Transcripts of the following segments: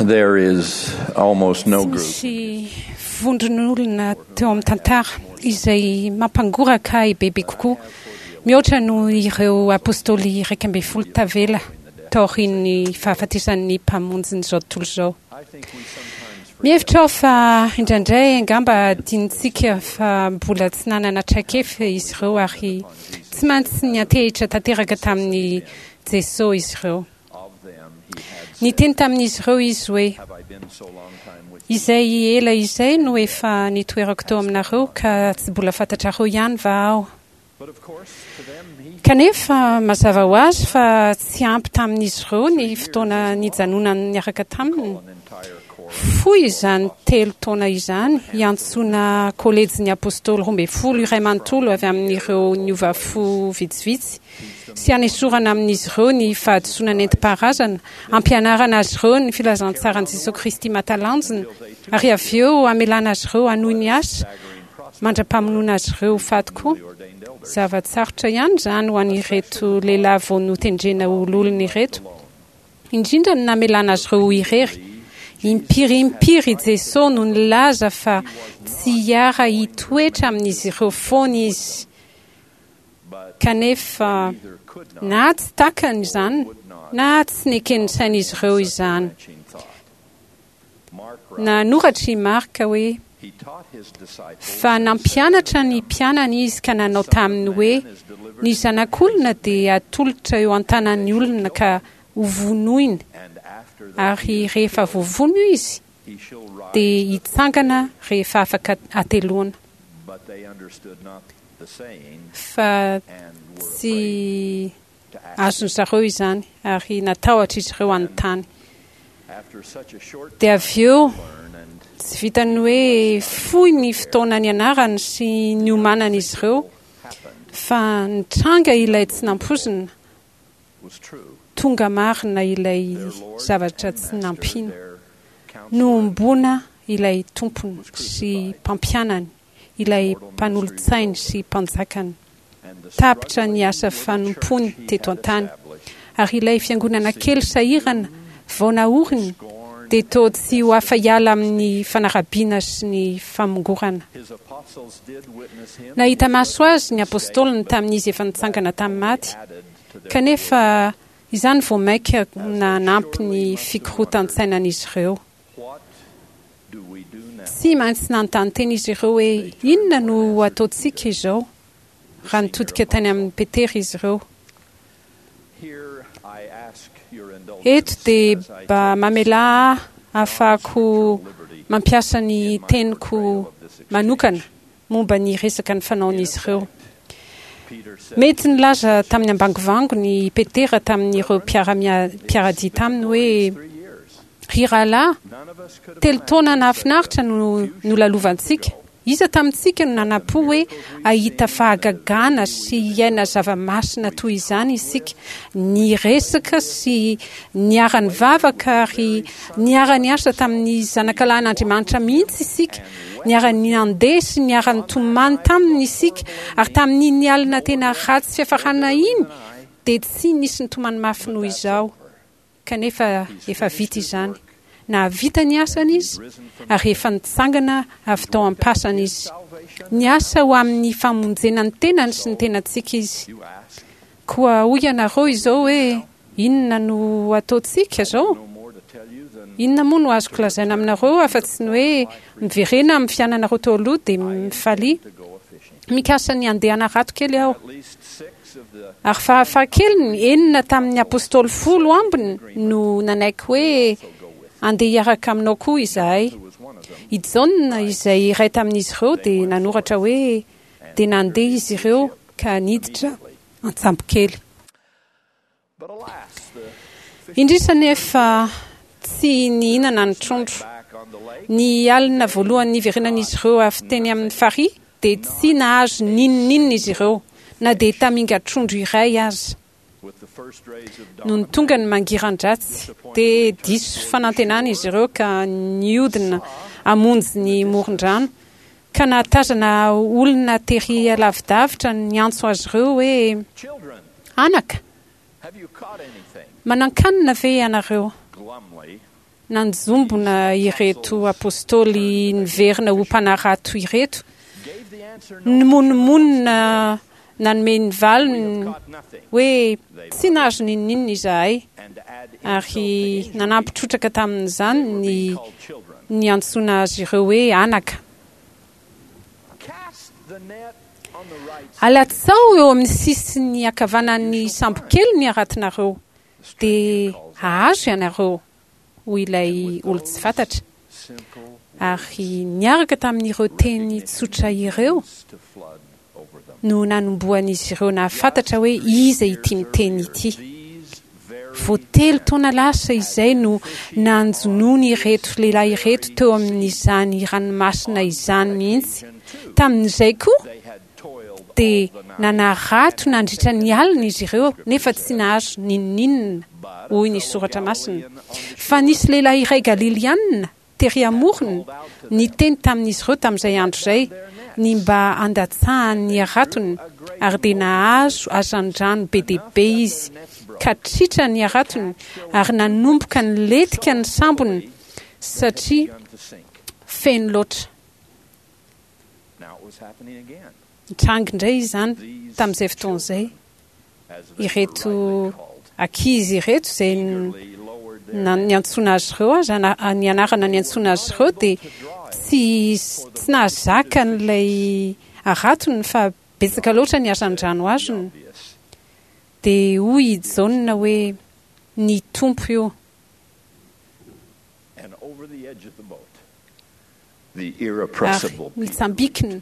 There is almost no Tsy group misy vondron'olona teo amin'ny tantara izay mampangoraka ahy bebe kokoa mihoatra noho ireo apostoly 11 tavela taorian'ny fahafatesan'ny Mpamonjin'izao tontolo izao. Mihevitra aho fa indraindray angamba adinontsika fa mbola tsy nanana traikefa izy ireo ary tsy maintsy niantehitra tanteraka tamin'i Jesoa izy ireo. Niteny tamin'izy ireo Izy hoe, Izay ela izay no efa nitoerako teo aminareo ka tsy mbola fantatrareo ihany va Aho? Kanefa, mazava ho azy fa tsy ampy tamin'izy ireo ny fotoana nijanonany niaraka taminy. Fohy izany telo taona izany hiantsoana Kolejin'ny Apostoly 12 iray manontolo avy amin'ireo niova fo vitsivitsy sy hanesorana amin'izy ireo ny fahadisoana nentim-paharazana, hampianarana azy ireo ny filazantsaran'i Jesoa Kristy mahatalanjona, ary avy eo hamelana azy ireo hanohy ny asa mandra-pamonoana azy ireo ho faty koa. Zava-tsarotra ihany izany ho an'ireto lehilahy vao notendrena ho loholona ireto, indrindra ny namelana azy ireo ho irery. Impiry impiry i Jesoa no nilaza fa tsy hiara-hitoetra amin'izy ireo foana Izy. Kanefa, na tsy takany izany na tsy neken'ny sain'izy ireo izany. Nanoratra i Marka hoe, Fa nampianatra ny mpianany izy ka nanao taminy hoe, Ny Zanak'olona dia hatolotra eo an-tanan'ny olona ka hovonoiny, ary rehefa voavono izy, dia hitsangana rehefa afaka hateloana. Fa tsy azon-dry zareo izany, ary natahotra izy ireo hanontany. Dia avy eo, tsy vitan'ny hoe fohy ny fotoana nianarany sy niomanan'izy ireo, fa nitranga ilay tsy nampoizina, tonga marina ilay zavatra tsy nampino. Nohomboana ilay Tompony sy Mpampianany, ilay Mpanolotsainy sy Mpanjakany. Tapitra ny asa fanompoany teto an-tany, ary ilay fiangonana kely sahirana vao naoriny dia toa tsy ho afa-hiala amin'ny fanarabiana sy ny famongorana. Nahita maso azy ny apostoliny tamin'izy efa nitsangana tamin'ny maty, Kanefa, izany vao mainka nanampy ny fikorotan-tsainan'izy ireo. Tsy maintsy nanontany tena izy ireo hoe, 'Inona no ho ataontsika izao? raha nitodika tany amin'i Petera izy ireo. Eto dia mba mamelà ahy hahafahako mampiasa ny teniko manokana momba ny resaka nifanaon'izy ireo. Mety nilaza tamin'ny ambangovangony i Petera tamin'ireo mpiara-dia taminy hoe, Ry rahalahy, telo taona nahafinaritra no nolalovantsika. Iza tamintsika no nanam-po hoe hahita fahagagana sy hiaina zava-masina toy izany isika? Niresaka sy niara-nivavaka ary niara-niasa tamin'ny Zanakalahin'Andriamanitra mihitsy isika. Niara-nandeha sy niara-nitomany taminy isika, ary tamin'iny alina tena ratsy fiafarana iny, dia tsy nisy nitomany mafy noho izaho. Kanefa efa vita izany. Nahavita ny asany izy, ary efa nitsangana avy tao am-pasana izy. Niasa ho amin'ny famonjena ny tenany sy ny tenantsika izy. Koa hoy ianareo izao hoe, Inona no ataontsika izao? Inona moa no azoko lazaina aminareo afa-tsy ny hoe miverena amin'ny fiainanareo teo aloha dia mifalia. Mikasa ny handeha hanarato kely aho. Ary farafahakeliny, enina tamin'ny apostoly folo ambiny no nanaiky hoe handeha hiaraka aminao koa izahay. I Jaona, izay iray tamin'izy ireo, dia nanoratra hoe, Dia nandeha izy ireo ka niditra an-tsambokely. Indrisy anefa, tsy nihinana ny trondro. Ny alina voalohany niverenan'izy ireo avy teny amin'ny farihy, dia tsy nahazo n'inon'inona izy ireo, na dia tamingan-trondro iray aza. Nony tonga ny mangiran-dratsy, dia diso fanantenana izy ireo ka nihodina hamonjy ny moron-drano, ka nahatazana olona tery lavidavitra niantso azy ireo hoe, Anaka, manan-kanina ve ianareo? Nanjombona ireto apostoly niverina ho mpanarato ireto, nimonomonona nanome ny valiny hoe tsy nahazo n'inon'inona izahay, ary nanampy trotraka tamin'izany ny niantsoana azy ireo hoe anaka. Alatsao eo amin'ny sisiny ankavanan'ny sambokely ny haratonareo, dia hahazo ianareo. hoy ilay olon-tsy fantatra. Ary niaraka tamin'ireo teny tsotra ireo no nanombohan'izy ireo nahafantatra hoe iza ity miteny ity. Vao telo taona lasa izay no nanjonoany ireto lehilahy ireto teo amin'izany ranomasina izany mihitsy. Tamin'izay koa dia nanarato nandritra ny alina izy ireo nefa tsy nahazo n'inon'inona, hoy ny Soratra Masina. Fa nisy lehilahy iray Galilianina tery amorony niteny tamin'izy ireo tamin'izay andro izay ny mba handatsahany ny haratony, ary dia nahazo hazandrano be dia be izy, ka tritra ny haratony ary nanomboka nilentika ny sambony satria feno loatra. Nitranga indray izany tamin'izay fotoana izay. Ireto ankizy ireto izay niantsoana azy ireo aza, ny anarana niantsoana azy ireo dia tsy tsy nahazaka an'ilay haratony fa betsaka loatra ny hazandrano azony. Dia hoy i Jaona hoe, Ny Tompo io. Ary nitsambikina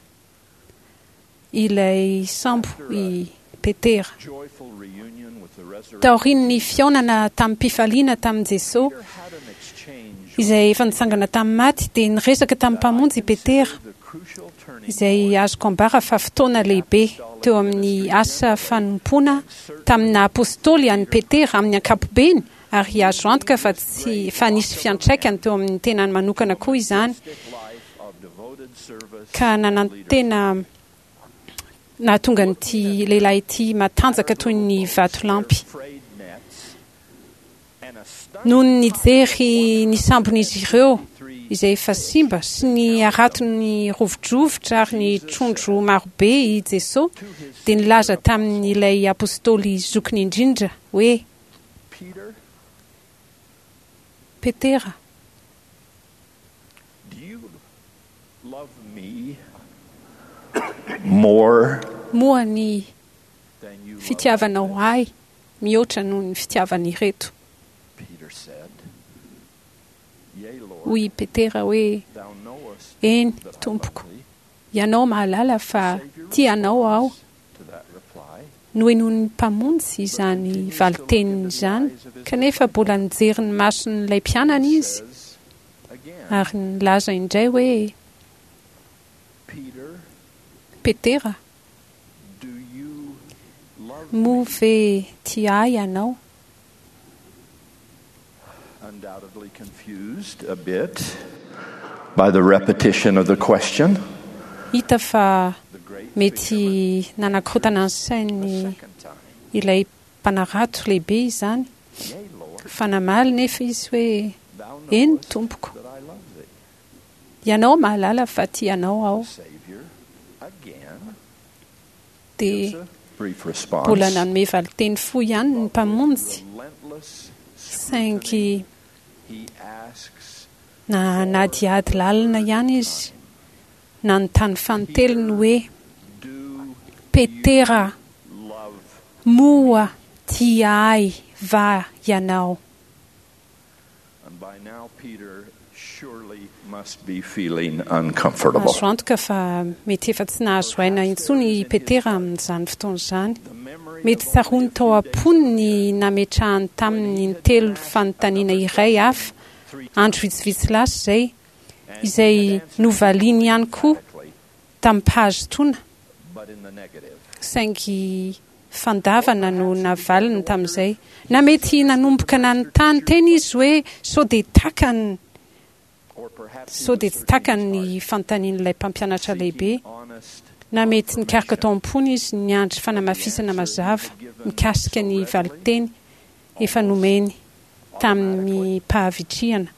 ilay sambo i Petera. Taorian'ny fihaonana tamim-pifaliana tamin'i Jesoa, izay efa nitsangana tamin'ny maty, dia niresaka tamin'ny Mpamonjy i Petera, izay azoko ambara fa fotoana lehibe teo amin'ny asa fanompoana tamin'ny naha-apostoly an'i Petera amin'ny ankapobeny ary azo antoka fa tsy fa nisy fiantraikany teo amin'ny tenany manokana koa izany ka nanantena nahatonga an'ity lehilahy ity matanjaka toy ny vatolampy. Nony nijery ny sambon'izy ireo izay efa simba sy ny haratony rovidrovitra ary ny trondro marobe i Jesoa dia nilaza tamin'ilay apostoly zokiny indrindra hoe, Petera. Moa ny fitiavanao ahy mihoatra noho ny fitiavan'ireto? Hoy i Petera hoe, Eny, Tompoko. Ianao mahalala fa tia Anao aho. Nohenoin'ny Mpamonjy izany valin-teniny izany, kanefa mbola nijery ny mason'ilay mpianany Izy ary nilaza indray hoe, Petera, moa ve tia Ahy ianao? Undoubtedly confused a bit by the repetition of the question. Hita fa mety nanakorontana ny sainy ilay mpanarato lehibe izany, fa namaly nefa izy hoe, Eny, Tompoko. Ianao mahalala fa tia Anao aho. Dia mbola nanome valinteny fohy ihany ny Mpamonjy, saingy nanadihady lalina ihany izy, nanontany fanintelony hoe, Petera, moa tia Ahy va ianao? Azo antoka fa mety efa tsy nahazo aina intsony i Petera amin'izany fotoana izany. Mety tsaroany tao am-pony ny nametrahany taminy intelo fanontaniana iray hafa, andro vitsivitsy lasa izay, izay novaliany ihany koa tamim-pahazotoana, saingy fandavana no navaliny tamin'izay. Na mety nanomboka nanontany tena izy hoe sao dia takany, sao dia tsy takany ny fanontanian'ilay Mpampianatra Lehibe. Na mety nikaroka tao am-pony izy niandry fanamafisana mazava mikasika ny valinteny efa nomeny tamim-pahavitrihana.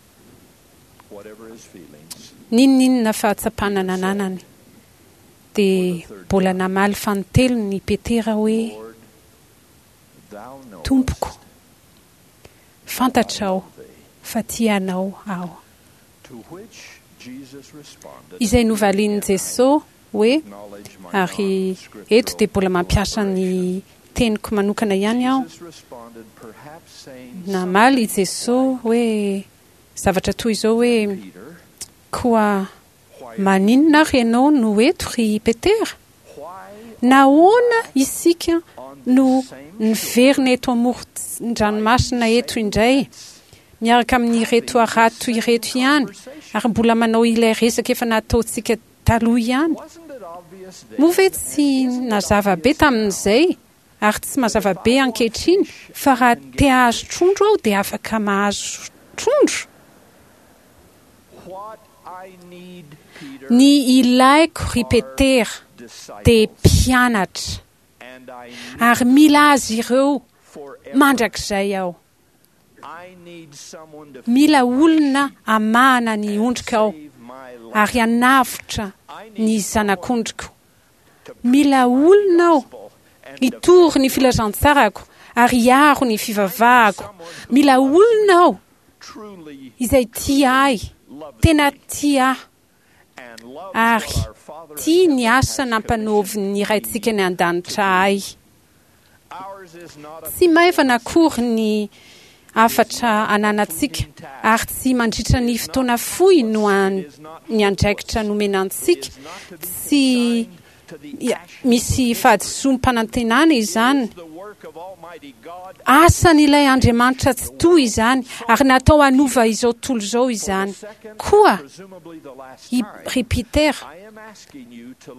N'inon'inona fahatsapana nananany, dia mbola namaly fanintelony i Petera hoe, Tompoko, fantatrao fa tia Anao aho. Izay novalian'i Jesoa hoe, ary eto dia mbola mampiasa ny teniko manokana ihany aho, namaly i Jesoa hoe zavatra toy izao hoe, Koa maninona ary ianao no eto ry Petera? Nahoana isika no niverina eto amoron-dranomasina eto indray, miaraka amin'ireto harato ireto ihany, ary mbola manao ilay resaka efa nataontsika taloha ihany? Moa ve tsy nazava be tamin'izay, ary tsy mazava be ankehitriny, fa raha te hahazo trondro aho dia afaka mahazo trondro? Ny ilaiko ry Petera dia mpianatra, ary mila azy ireo mandrakizay aho. Mila olona hamahana ny ondriko aho, ary hanavotra ny zanak'ondriko. Mila olona aho hitory ny filazantsarako ary hiaro ny fivavahako. Mila olona aho izay tia ahy, tena tia ahy, ary tia ny asa nampanaovin'ny Raintsika any An-danitra ahy. Tsy maivana akory ny hafatra ananantsika, ary tsy mandritra ny fotoana fohy no ny andraikitra nomena antsika, tsy Misy fahadisoam-panantenana izany. Asan'ilay Andriamanitra Tsitoha izany, ary natao hanova izao tontolo izao izany. Koa, i ry Peter,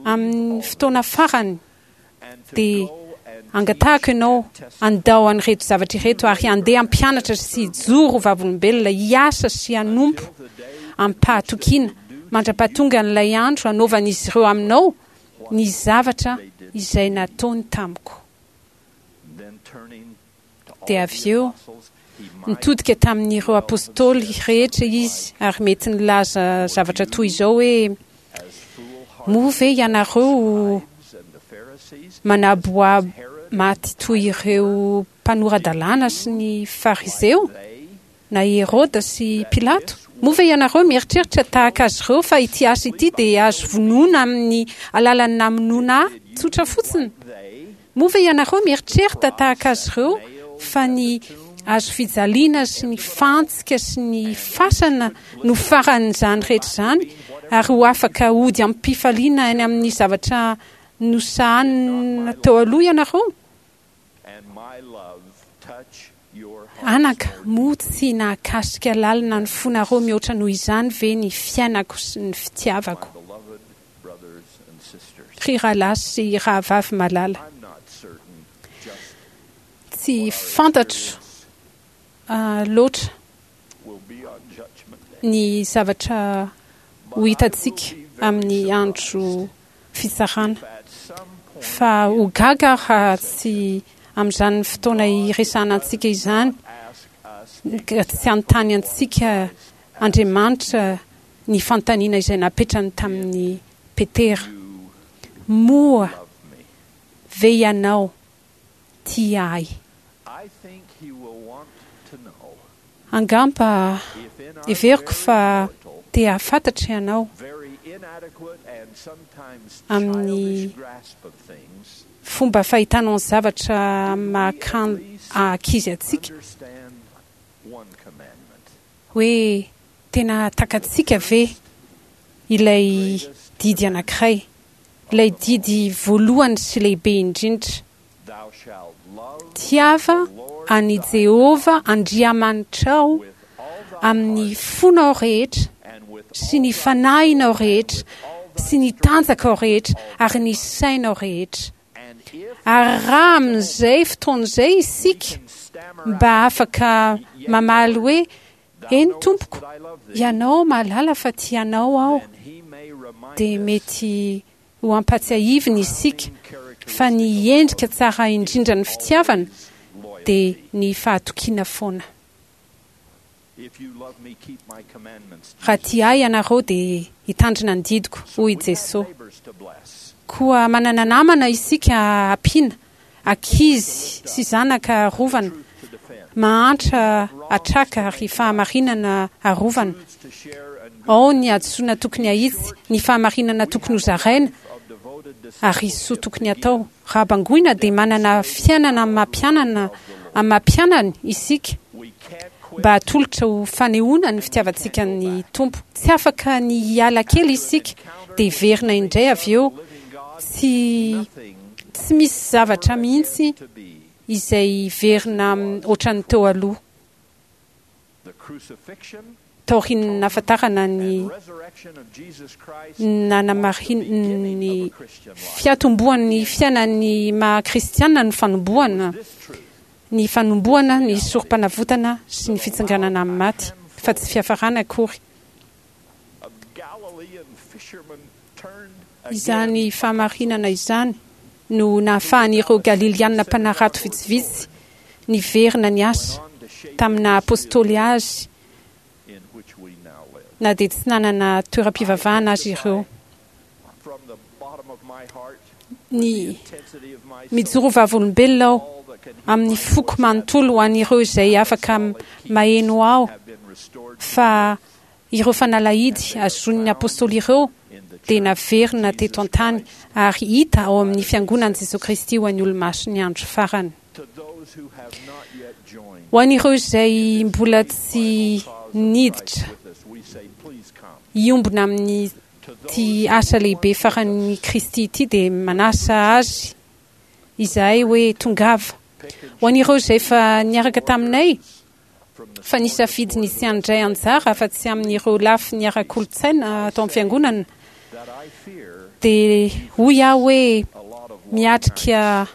amin'ny fotoana farany, dia angatahako ianao handao an'ireto zavatra ireto ary handeha hampianatra sy hijoro ho vavolombelona, hiasa sy hanompo amim-pahatokiana mandra-pahatongan'ilay andro hanaovan'izy ireo aminao ny zavatra izay nataony tamiko. Dia avy eo, nitodika tamin'ireo apostoly rehetra izy ary mety nilaza zavatra toy izao hoe, Moa ve ianareo manaboabo maty toy ireo mpanora-dalàna sy ny Fariseo, na i Heroda sy Pilato? Moa ve ianareo mieritreritra tahaka azy ireo fa ity asa ity dia azo vonoina amin'ny alalan'ny namonoana ahy tsotra fotsiny? Moa ve ianareo mieritrerita tahaka azy ireo fa ny hazofijaliana sy ny fantsika sy ny fasana no faran'izany rehetra izany ary ho afaka hody amim-pifaliana any amin'ny zavatra nosahanina teo aloha ianareo? Anaka, moa tsy nahakasika lalina ny fonareo mihoatra noho izany ve ny fiainako sy ny fitiavako? Ry rahalahy sy rahavavy malala, tsy fantatro loatra ny zavatra ho hitantsika amin'ny andro fitsarana, fa ho gaga aho raha tsy amin'izany fotoana hiresahana antsika izany, tsy hanontany antsika Andriamanitra ny fanontaniana izay napetrany tamin'i Petera, Moa ve ianao tia ahy? Angamba heveriko fa te hahafantatra ianao amin'ny fomba fahitanao ny zavatra maha-ankizy antsika. Hoe tena takatsika ve ilay didy anankiray, ilay didy voalohany sy lehibe indrindra? Tiava an'i Jehovah Andriamanitrao amin'ny fonao rehetra sy ny fanahinao rehetra sy ny tanjakao rehetra ary ny sainao rehetra. Ary raha amin'izay fotoana izay isika mba afaka mamaly hoe, Eny, Tompoko, Ianao mahalala fa tia Anao aho, dia mety ho ampatsiahivina isika fa ny endrika tsara indrindran'ny fitiavana dia ny fahatokiana foana. Raha tia Ahy ianareo dia hitandrina ny didiko, hoy i Jesoa. Koa manana namana isika ampiana, ankizy sy zanaka arovana, mahantra atraka ary fahamarinana arovana. Ao ny hadisoana tokony hahitsy, ny fahamarinana tokony hozaraina ary soa tokony hatao. Raha bangoina dia manana fiainana amin'ny maha-mpianana amin'ny maha-mpianany isika mba hatolotra ho fanehoana ny fitiavantsika ny Tompo. Tsy afaka ny hiala kely isika dia hiverina indray avy eo. Tsy tsy misy zavatra mihitsy izay hiverina ohatran'ny teo aloha. Taorian'ny nahafantarana ny nanamarin'ny fiatombohan'ny fiainan'ny maha kristiana ny fanombohana ny fanombohana ny sorompanavotana sy ny fitsanganana amin'ny maty, fa tsy fiafarana akory. Izany fahamarinana izany no nahafahan'ireo Galiliana mpanarato vitsivitsy niverina niasa tamin'ny naha apostoly azy na dia tsy nanana toeram-pivavahana aza ireo. Ny mijoro ho vavolombelona aho amin'ny foko manontolo ho an'ireo izay afaka maheno aho fa Ireo fanalahidy azonin'ny Apostoly ireo dia naverina teto an-tany ary hita ao amin'ny Fiangonan'i Jesoa Kristy ho an'ny Olomasin'ny Andro Farany. Ho an'ireo izay mbola tsy niditra hiombona amin'ity asa lehibe faran'i Kristy ity dia manasa azy izahay hoe tongava. Ho an'ireo izay efa niaraka taminay, fa nisafidy ny tsy handray anjara afa-tsy amin'ireo lafiny ara-kolontsaina ato amin'ny Fiangonana, dia hoy aho hoe miatrika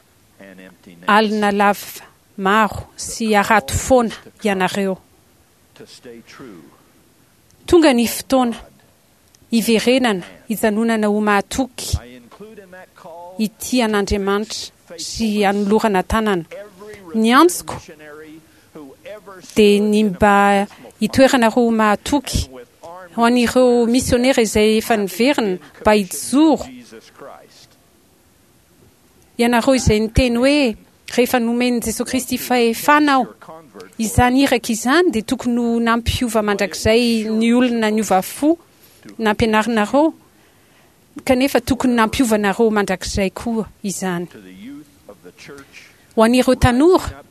alina lava maro sy harato foana ianareo. Tonga ny fotoana hiverenana hijanonana ho mahatoky hitia an'Andriamanitra sy hanolorana tanana. Ny antsoko dia ny mba hitoeranareo ho mahatoky ho an'ireo misionera izay efa niverina mba hijoro Ianareo izay niteny hoe, Rehefa nomen'i Jesoa Kristy fahefana aho. Izany iraka izany dia tokony ho nampiova mandrakizay ny olona niova fo nampianarinareo, kanefa tokony nampiova anareo mandrakizay koa izany. Ho an'ireo tanora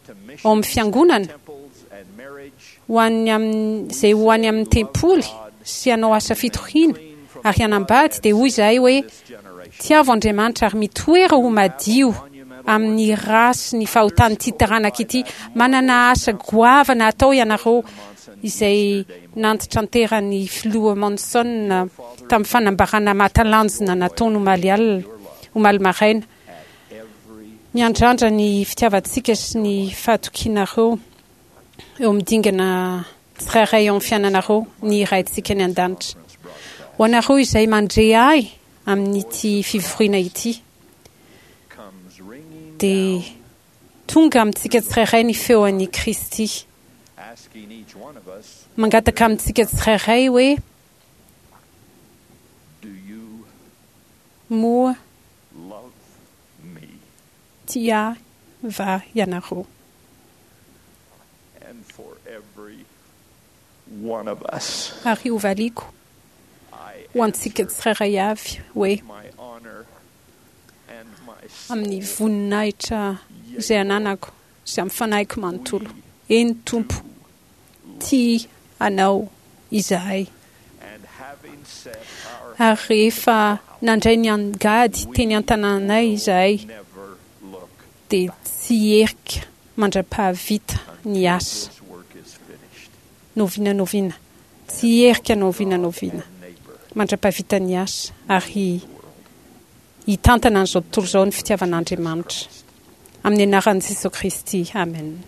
ao amin'ny Fiangonana, ho an'ny amin'izay ho any amin'ny tempoly sy hanao asa fitoriana ary hanambady, dia hoy izahay hoe, Tiavo Andriamanitra ary mitoera ho madio amin'ny ra sy ny fahotan'ity taranaka ity. Manana asa goavana hatao ianareo, izay nantitranteran'ny Filoha Monson tamin'ny fanambarana mahatalanjona nataony omaly alina, omaly maraina. Miandrandra ny fitiavantsika sy ny fahatokianareo eo amin'ny dingana tsirairay eo amin'ny fiainanareo ny Raintsika any An-danitra. Ho anareo izay mandre ahy amin'ity fivoriana ity, dia tonga amintsika tsirairay ny feon'i Kristy, mangataka amintsika tsirairay hoe, Moa tia ahy va ianareo? Ary hovaliako ho antsika tsirairay avy hoe, Amin'ny voninahitra izay ananako sy amin'ny fanahiko manontolo, eny Tompo, tia Anao izahay. Ary rehefa nandray ny angady teny an-tanànay izahay, dia tsy hierika mandra-pahavita ny asa. N'oviana n'oviana. Tsy hierika n'oviana n'oviana mandra-pahavita ny asa, ary hitantana an'izao tontolo izao ny fitiavan'Andriamanitra. Amin'ny anaran'i Jesoa Kristy, amena.